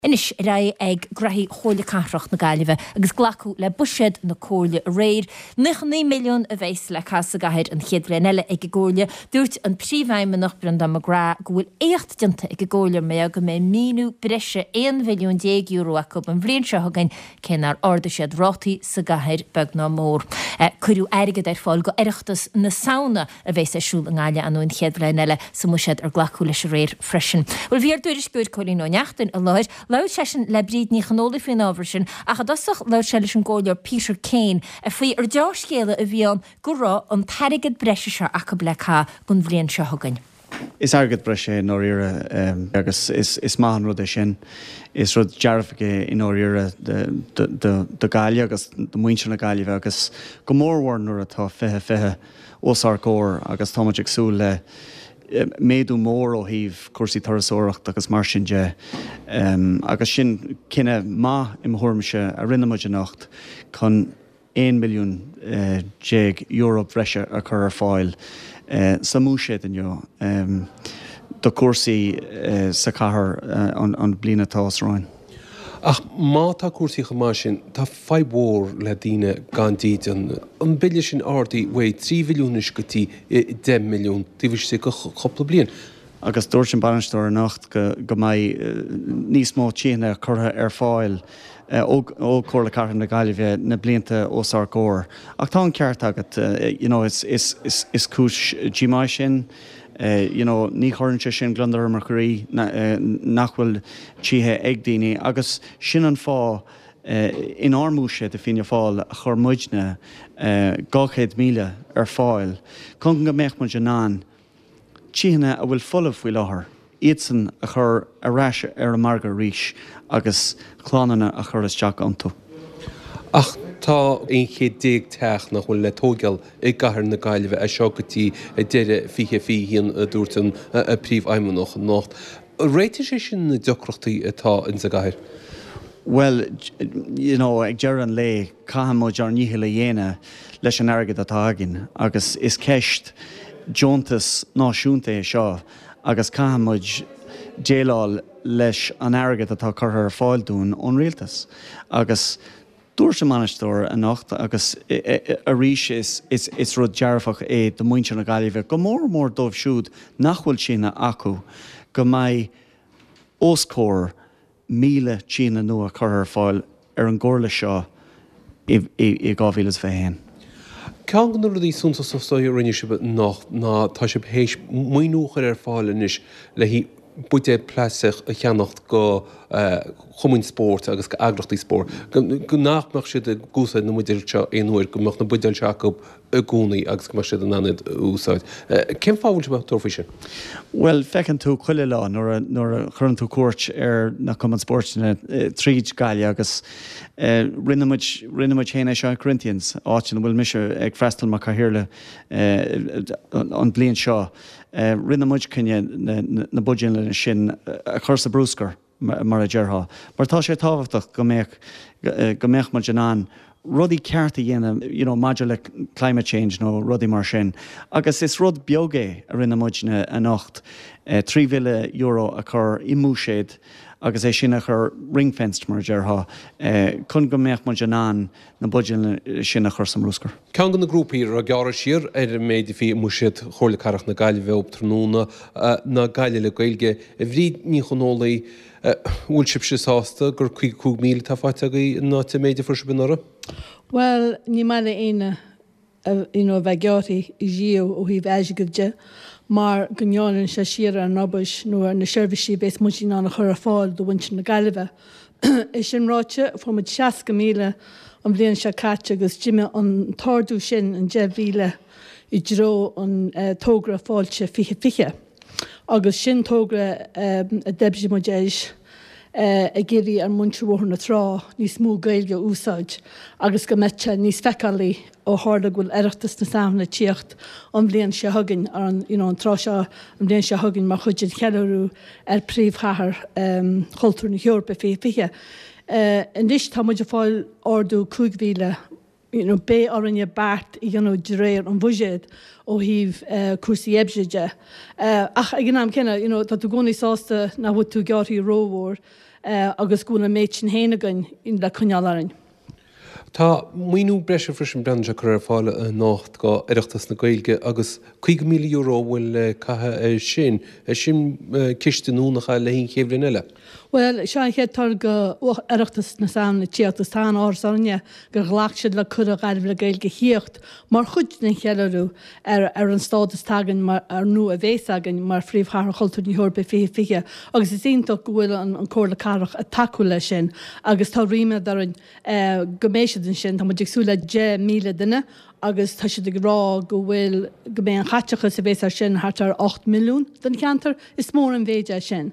Anois ar aghaidh ag graithí Chomhairle Cathrach na Gaillimhe agus glacadh le buiséad na Comhairle aréir. 99 milliún a bheas le caitheamh sa gcathair an chéad bhliain eile ag an gComhairle. Dúirt an Príomhfheidhmeannach Breandán McGrath go bhfuil éacht déanta ag an gComhairle mar go mbeidh maoiniú breise €11 mhilliún acu an bhliain seo chugainn cé nár ardaigh siad rátaí sa gcathair beag ná mór. Cuireadh airgead ar fáil go Oireachtas na Samhna. a bheas ar siúl i nGaillimh ar ndóigh an chéad bhliain eile sa mbuiséad ar glacadh leis aréir freisin. Bhuel bhí ár dtuairisceoir Cóilín Ó Neachtain i láthair. Labhair seisean le Bríd Ní Chonólaigh faoin ábhar sin ach i dtosach labhair sé leis an gComhairleoir Peter Kane faoi ar deá-scéala a bhí ann go raibh an t-airgead breise seo acu le caitheamh don bhliain seo chugainn. Is airgead breise é i ndáiríre agus is maith an rud é sin. Is rud dearfach é i ndáiríre do Ghaillimh agus do mhuintir na Gaillimhe agus go mórmhór nuair atá 2020 os ár gcomhair agus tá muid ag súil le méadú mór ó thaobh cúrsaí turasóireachta agus mar sin de. Agus sin cinneadh maith i mo thuairimse a rinne muid anocht chun €11 milliún bhreise a chur ar fáil sa mbuiséad inniu do chúrsaí sa chathair an bhliain atá os romhainn. Ach má tá cúrsaí chomh maith sin, tá fadhb mhór le daoine gan dídean. An bille sin ardaithe uaidh 3 mhilliún anois go dtí 10 milliún taobh istigh de chúpla bliain. Agus dúirt an bainisteoir anocht go mbeidh níos mó tithe curtha ar fáil ó Chomhairle Cathrach na Gaillimhe na blianta os ár gcomhair. Ach tá an ceart agat, you know, is cúis díomá é sin. You know, ní chuireann sé sin gliondar ar mo chroí nach bhfuil tithe ag daoine agus sin an fáth inár mbuiséad i Fianna Fáil a chuir muidne 200,000 ar fáil chun go mbeadh muid in ann tithe a bhfuil folamh faoi láthair, iadsan a chur ar ais ar an margadh arís agus clannanna a chur isteach iontu. Ach tá 11 chéad teach nach bhfuil le tóigeáil i gcathair na Gaillimhe as seo go dtí deireadh 2021, a dúirt an Príomhfheidhmeannach anocht. Réiteoidh sé sin na deacrachtaí atá ins an gcathair? Bhuel, you know, ag deireadh an lae, caithfidh muid ár ndícheall a dhéanamh leis an airgead atá againn agus is ceist deontas náisiúnta é seo agus caithfidh muid déileáil leis an airgead atá curtha ar fáil dúinn ón rialtas agus dúirt an bainisteoir anocht agus arís is rud dearfach é do mhuintir na Gaillimhe, go mór mór dóibh siúd nach bhfuil tithe acu, go mbeidh os comhair 1,000 tithe nua curtha ar fáil ar an gcomhairle seo i 2021. Ceann de na rudaí suntasacha a rinne sibh anocht ná tá sibh théis maoiniú a chur ar fáil anois le haghaidh buidéal plaisteach a cheannacht go chumainn spóirt agus go eagrachtaí spóirt, go nach mbeadh siad ag úsáid na mbuidéal seo aon uair, go mbeadh na buidéil seo acu i gcónaí agus go mbeadh siad in ann iad a úsáid. Cén fáth a bhfuil sibh ag tabhairt faoi sin? Bhuel, feiceann tú chuile lá nuair a, nuair a chuireann tú cuairt ar na cumainn spóirt tríd Gaillimh agus rinne muid, rinne muid féin é seo i Corinthians, áit ina bhfuil mise ag freastal mar chathaoirleach an bhliain seo. Rinne muid cinneadh na buidéil sin a chur sa brúscar. mar a déarfá, mar tá sé tábhachtach go mbeadh, go mbeadh muid in ann rudaí ceart a dhéanamh you know maidir le climate change nó rudaí mar sin. Agus is rud beag é a rinne muidne anocht, €3,000 a chur i mbuiséad agus é sin a chur ring-fenced mar a déarfá, chun go mbeadh muid in ann na buidéil sin a chur sa mbrúscar. Ceann de na grúpaí a raibh gearradh siar ar an méid a bhí i mbuiséad Chomhairle Cathrach na Gaillimhe um tráthnóna ná Gaillimh le Gaeilge. A Bhríd Ní Chonólaigh, bhfuil sibhse sásta gur 55,000 atá faighte agaibh in áit an méid a fuair sibh anuraidh? Bhuel, ní maith le éinne you know a bheith gearrtha riamh ó thaobh airgid de mar go ngearrann sé siar ar an obair nó ar na seirbhísí a bhéas muid in ann a chur ar fáil do mhuintir na Gaillimhe. É sin ráite, fuair muid 60,000 an bhliain seo caite agus d'imigh an t-ardú sin, an 10,000, i dtreo an togra Fáilte 2020. Agus sin togra a d'oibrigh muid air ag iarraidh ar mhuintir Bhóthar na Trá níos mó Gaeilge a úsáid agus go mbeadh sé níos feiceálaí ó tharla go bhfuil Oireachtas na Samhna ag tíocht an bhliain seo chugainn, ar an, you know, an tráth seo an bhliain seo chugainn mar chuid den cheiliúradh ar Príomhchathair Chultúir na hEorpa 2020. Anois tá muid ag fáil ardú 5,000 you know, beidh orainne beart a dhéanamh de réir an bhuiséid ó thaobh cúrsaí oibre de. Ach ag an am céanna, you know, tá tú i gcónaí sásta nach bhfuil tú gearrtha rómhór. agus go bhfuil an méid sin féin againn le coinneáil orainn. Tá maoiniú breise freisin breathnaíonn sé curtha ar fáil anocht go Oireachtas na Gaeilge agus €50,000 a bhfuil le caitheamh air sin. Sin ciste nua nach ea le haghaidh an chéad bhliain eile? Bhuel, seo an chéad toradh go Oireachtas na Samhna ag tíocht agus tá an-áthas orainne gur ghlac siad le cuireadh Ghaillimh le Gaeilge a thíocht mar chuid den cheiliúradh ar ar an stádas atá againn mar, nó a bhéas againn mar Phríomhchathair Chultúir na hEorpa 2020 agus is iontach go bhfuil an Comhairle Cathrach ag tacú leis sin agus tá ríméad orainn go mbeidh siad ansin. Tá muid ag súil le 10,000 duine agus tá siad ag rá go bhfuil, go mbeidh an chaiteachas a bhéas air sin thart ar 8 milliún don cheantar. Is mór an mhéid é sin.